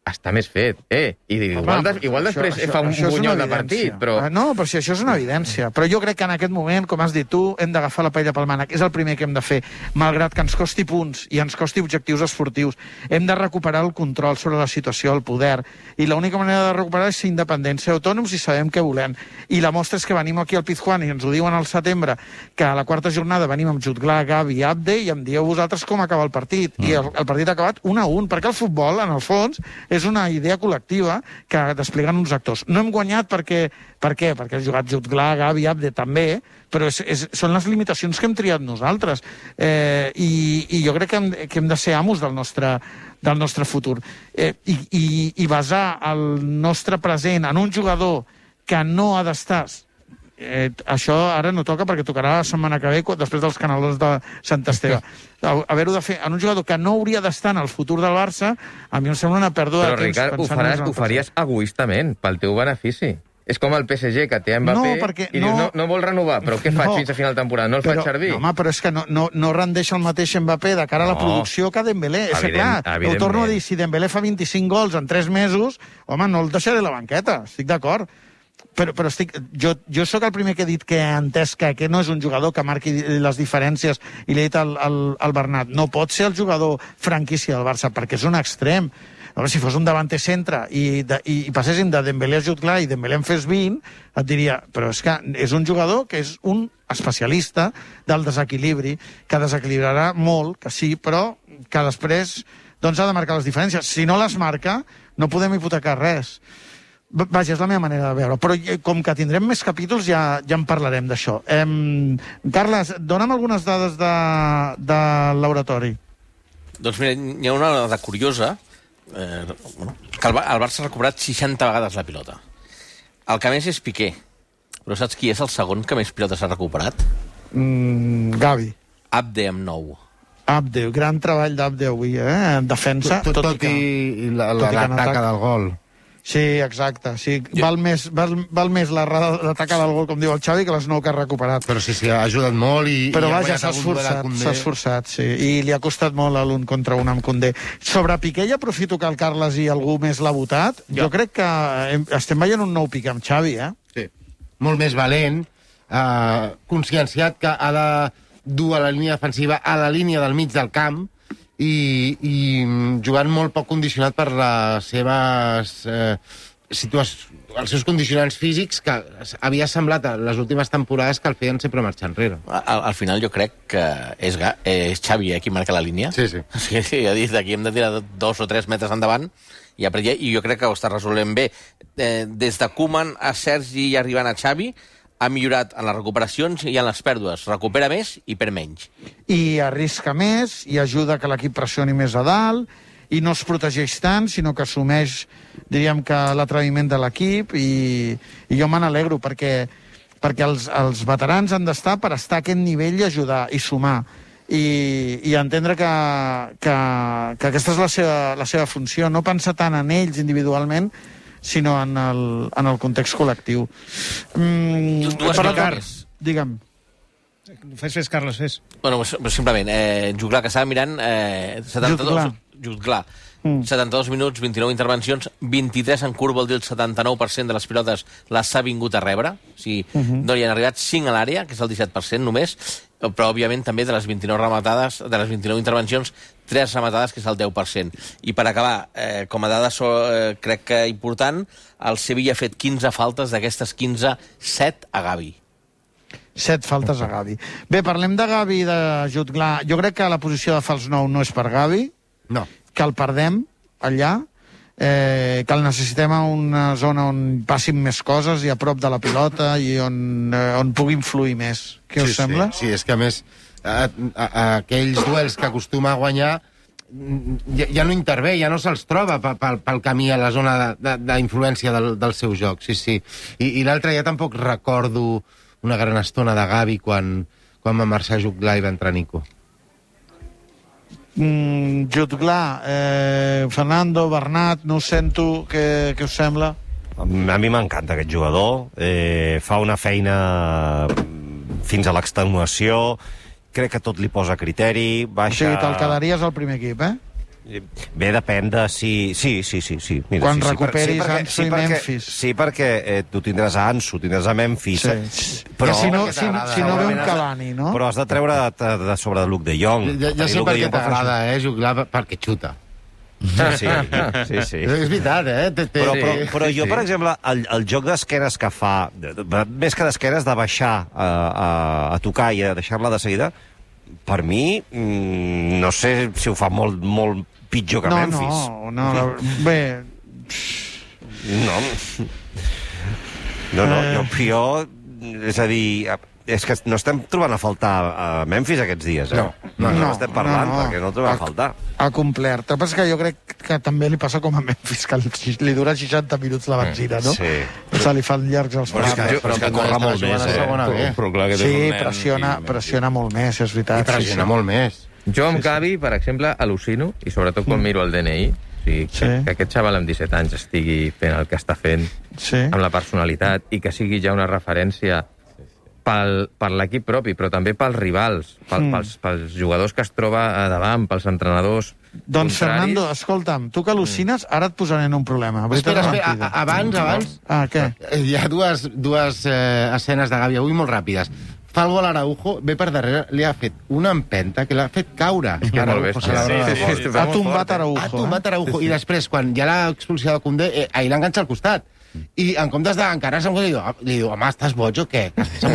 està més fet, i igual després fa un bunyol de partit, però... No, però si això és una evidència. Però jo crec que en aquest moment, com has dit tu, hem d'agafar la paella pel mànec. És el primer que hem de fer. Malgrat que ens costi punts i ens costi objectius esportius, hem de recuperar el control sobre la situació, el poder. I l'única manera de recuperar és ser independents, ser autònoms i sabem què volem. I la mostra és que venim aquí al Pizjuán i ens ho diuen al setembre, que a la quarta jornada venim amb Jutglar, Gavi i Abde, i em dieu vosaltres com acaba el partit. I el partit ha acabat 1-1, perquè el futbol, en el fons, és una idea col·lectiva que despleguen uns actors. No hem guanyat per què? Perquè ha jugat Jutglar, Gavi, Abde també, però són les limitacions que hem triat nosaltres. I jo crec que hem de ser amos del nostre futur. I basar el nostre present en un jugador que no ha d'estar... això ara no toca, perquè tocarà la setmana que ve després dels canalons de Sant Esteve. Haver-ho de fer en un jugador que no hauria d'estar en el futur del Barça, a mi em sembla una pèrdua de temps. Però, Ricard, ho faries egoistament, pel teu benefici. És com el PSG, que té Mbappé i dius, no vol renovar, però què faig fins a final de temporada? No el faig servir? Home, però és que no rendeix el mateix Mbappé de cara a la producció que Dembélé. És que, clar, ho torno a dir, si Dembélé fa 25 gols en 3 mesos, home, no el deixaré a la banqueta, estic d'acord. Però jo sóc el primer que he dit que he entès que no és un jugador que marqui les diferències, i l'he dit al Bernat. No pot ser el jugador franquícia del Barça, perquè és un extrem. Si fos un davanter centre i passéssim de Dembélé a Jutglar i Dembélé en fes 20, et diria, però és que és un jugador que és un especialista del desequilibri, que desequilibrarà molt, que sí, però que després doncs ha de marcar les diferències. Si no les marca, no podem hipotecar res. Vaja, és la meva manera de veure. Però com que tindrem més capítols, ja en parlarem d'això. Carles, dona'm algunes dades de l'oratori. Doncs mira, hi ha una dada curiosa, que el Barça ha recuperat 60 vegades la pilota. El que més és Piqué. Però saps qui és el segon que més pilotes ha recuperat? Gavi. Abde, amb 9. Abde, gran treball d'Abde avui, en defensa. Tot i la taca del gol. Sí, exacte. Sí, val més l'atacar del gol, com diu el Xavi, que les 9 que ha recuperat. Però sí, ha ajudat molt i... Però vaja, s'ha esforçat, sí. I li ha costat molt l'1 contra 1 amb Koundé. Sobre Piqué, ja aprofito que el Carles i algú més l'ha votat. Jo crec que estem veient un nou Piqué amb Xavi, Sí. Molt més valent, conscienciat que ha de dur a la línia defensiva a la línia del mig del camp, i jugant molt poc condicionat per les seves els seus condicionants físics, que havia semblat a les últimes temporades que el feien sempre marxar enrere. Al final jo crec que és Xavi qui marca la línia. Sí. Ha dit aquí hem de tirar 2 o 3 metres endavant i jo crec que ho està resolent bé. Des de Koeman a Sergi i arribant a Xavi, ha millorat en les recuperacions i en les pèrdues. Recupera més i perd menys. I arrisca més, i ajuda que l'equip pressioni més a dalt, i no es protegeix tant, sinó que assumeix, diríem que, l'atreviment de l'equip, i jo me n'alegro, perquè els veterans han d'estar per estar a aquest nivell i ajudar, i sumar, i entendre que aquesta és la seva funció, no pensar tant en ells individualment, sinó en el context col·lectiu. Digue'm. Fes, Carles, fes. Bueno, simplement, Jutglar, que estava mirant... 72 minuts, 29 intervencions, 23 en curt, vol dir el 79% de les pilotes les ha vingut a rebre. O sigui, no hi han arribat 5 a l'àrea, que és el 17% només, però, òbviament, també de les 29 rematades, de les 29 intervencions, 3 rematades, que és el 10%. I per acabar, com a dada, crec que important, el Sevilla ha fet 15 faltes, d'aquestes 15, 7 a Gavi. 7 faltes a Gavi. Bé, parlem de Gavi i de Jutglar. Jo crec que la posició de fals 9 no és per Gavi. No. Que el perdem allà, que el necessitem a una zona on passin més coses i a prop de la pilota i on pugui influir més. Què us sembla? Sí, és que a més aquells duels que acostuma a guanyar ja no intervé, ja no se'ls troba pel camí a la zona d'influència del seu joc. Sí. I l'altre ja tampoc recordo una gran estona de Gavi quan va marxar Jutglar i va entrar Nico. Jutglar, Fernando, Bernat, no ho sento, què us sembla? A mi m'encanta aquest jugador, fa una feina fins a l'extenuació, crec que tot li posa criteri, baixa... O sigui, te'l quedaries al primer equip, Bé, depèn de si... Sí. Mira, quan recuperis Ansu i Memphis. Sí, perquè tu tindràs a Ansu, tindràs a Memphis... Sí. Però si no ve un Cavani, no? Però has de treure de sobre de Luke de Jong. Ja sé per què t'agrada, Jutglar, perquè xuta. Sí. És veritat, Però jo, per exemple, el joc d'esquenes que fa, més que d'esquenes, de baixar a tocar i a deixar-la de seguida, per mi, no sé si ho fa molt pitjor que Memphis. No, bé... No, jo... És a dir, és que no estem trobant a faltar a Memphis aquests dies, No estem parlant, perquè no el trobem a faltar. Ha complert. El que passa és que jo crec que també li passa com a Memphis, que li dura 60 minuts la benzina, no? Sí. Se li fan llargs els plans. Però que corre molt més, Sí, pressiona molt més, és veritat. I pressiona molt més. Jo amb Gavi, per exemple, al·lucino, i sobretot quan miro el DNI, que aquest xaval amb 17 anys estigui fent el que està fent, amb la personalitat, i que sigui ja una referència per l'equip propi, però també pels rivals, pels jugadors que es troba a davant, pels entrenadors Doncs, Fernando, escolta'm, tu que al·lucines, ara et posaré en un problema. Espera, abans... què? Hi ha dues escenes de Gavi avui molt ràpides. Fa el gol Araujo, ve per darrere, li ha fet una empenta que l'ha fet caure. Ha tombat Araujo. Ha tombat Araujo. I després, quan ja l'ha expulsat de Koundé, ahir l'enganxa al costat. I en comptes d'encarar-se amb li diu, home, estàs boig o què? S'ha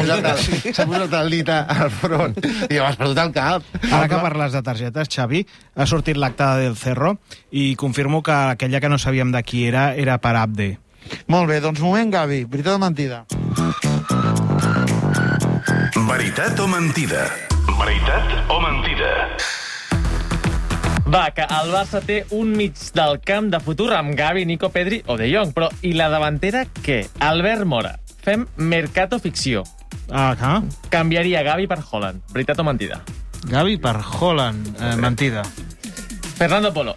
posat el dit al front. I diu, has perdut el cap. Ara que parles de targetes, Xavi, ha sortit l'acte del Cerro i confirmo que aquella que no sabíem de qui era per Abde. Molt bé, doncs moment, Gavi. Veritat o mentida? Veritat o mentida? Veritat o mentida? Va, que el Barça té un mig del camp de futur amb Gavi, Nico, Pedri o De Jong. Però i la davantera, què? Albert Mora. Fem mercato ficció. Canviaria Gavi per Haaland. Veritat o mentida? Gavi per Haaland. Mentida. Fernando Polo.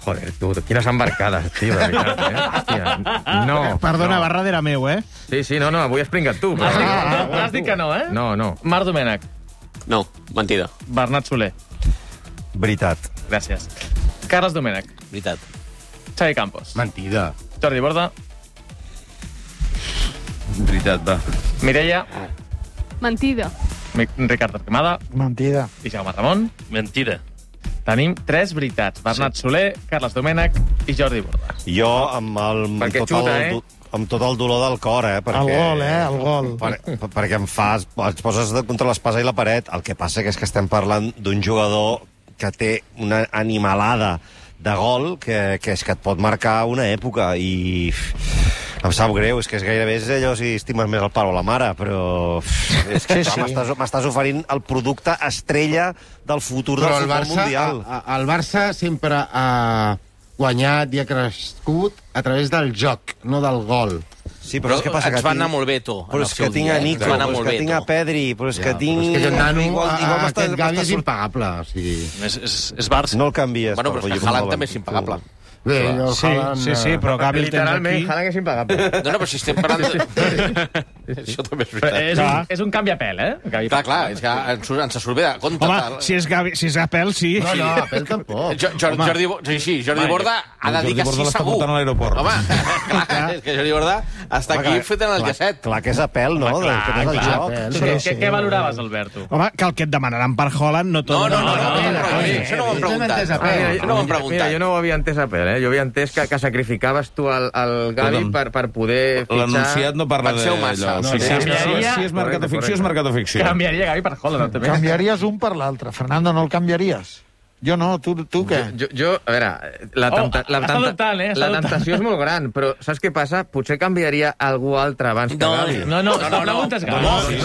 Joder, tu, quines embarcades, tio, de veritat, Hòstia, no. Perdona, va darrere meu, Sí, no, avui has pringat tu. Has dit que no, No. Marc Domènech. No, mentida. Bernat Soler. Veritat. Gràcies. Carles Domènech. Veritat. Xavi Campos. Mentida. Jordi Borda. Veritat, va. Mireia. Mentida. Ricard Torquemada. Mentida. I Jaume Ramon. Mentida. Tenim 3 veritats. Bernat Soler, Carles Domènech i Jordi Borda. Jo, amb tot el dolor del cor, perquè... El gol. Perquè et poses contra l'espasa i la paret. El que passa és que estem parlant d'un jugador que té una animalada de gol que és que et pot marcar una època i em sap greu, és que és gairebé allò si estimes més el pare o la mare, però és que m'estàs oferint el producte estrella del futur del futbol mundial. El Barça sempre ha guanyat i ha crescut a través del joc, no del gol. Sí, però és que passa que ens va anar molt bé, tu. Però és que tinc a Nico, però és que tinc a Pedri, però és que tinc... Però és que el nano, aquest Gavi és impagable. És Barça. No el canvies. Bueno, però és que Haaland també és impagable. Bé, sí, però Gavi el tens aquí. Literalment, Haaland és impagable. No, però si estem parlant... Això també és veritat. És un canviapel, Clar, és que ens surt bé de compte. Home, si és Apel, sí. No, Apel tampoc. Jordi Borda ha de dir que sí segur. Home, clar, és que Jordi Borda està aquí fet en el llacet. Clar que és Apel, no? Què valoraves, Alberto? Home, que el que et demanaran per Haaland no tot... No, això no ho hem preguntat. Mira, jo no ho havia entès Apel, Jo havia entès que sacrificaves tu el Gavi per poder fitxar... L'anunciat no parla d'allò. Si és mercat o ficció, és mercat o ficció. Canviaria Gavi per Haaland, també. Canviaries un per l'altre. Fernando, no el canviaries? Jo no, tu què? Jo, a veure, la tentació és molt gran, però saps què passa? Potser canviaria algú altre abans que Gavi. No, la pregunta és Gavi.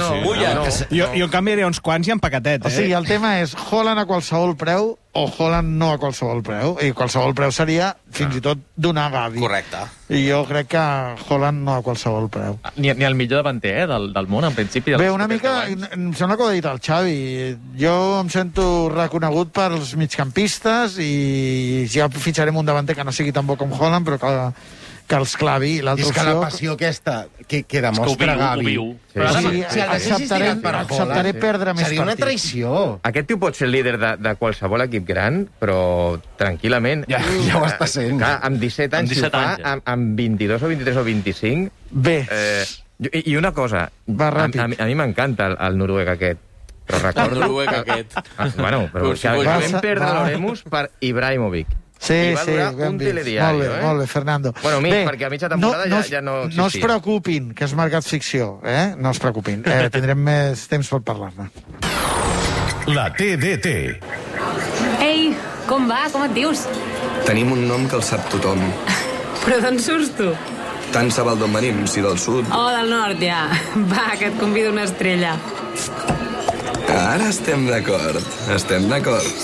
Jo canviaria uns quants i en paquetet, O sigui, el tema és Haaland a qualsevol preu o Haaland no a qualsevol preu. I qualsevol preu seria fins i tot donar Gavi. Correcte. I jo crec que Haaland no a qualsevol preu. Ni el millor davanter del món, en principi. Bé, una mica, em sembla que ho ha dit el Xavi. Jo em sento reconegut pels migcampistes i ja fitxarem un davanter que no sigui tan bo com Haaland, però que els clavi. És que la passió aquesta que demostra Gavi... Acceptaré perdre més partits. Seria una traïció. Aquest tio pot ser el líder de qualsevol equip gran, però tranquil·lament... Ja ho està sent. Amb 17 anys, si ho fa, amb 22 o 23 o 25... Bé. I una cosa, a mi m'encanta el noruec aquest, però recordo... El noruec aquest. Bueno, però que vam perdre l'Oremus per Ibrahimovic. Sí, un telediari, molt bé, Fernando. Bueno, perquè a mitja temporada ja no existia. No es preocupin, que és mercat ficció, No es preocupin. Tindrem més temps per parlar-ne. La TDT. Ei, com va? Com et dius? Tenim un nom que el sap tothom. Però d'on surts tu? Tant se val d'on venim, si del sud. Oh, del nord, ja. Va, que et convido una estrella. Ara estem d'acord.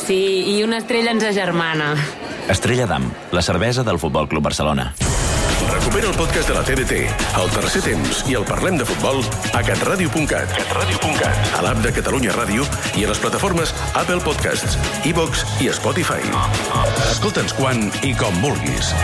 Sí, i una estrella ens agermana. Estrella d'Am, la cervesa del Futbol Club Barcelona. Recupera el podcast de la TDT, el tercer temps i el Parlem de Futbol a catradio.cat, a l'app de Catalunya Ràdio i a les plataformes Apple Podcasts, iVox i Spotify. Escolta'ns quan i com vulguis.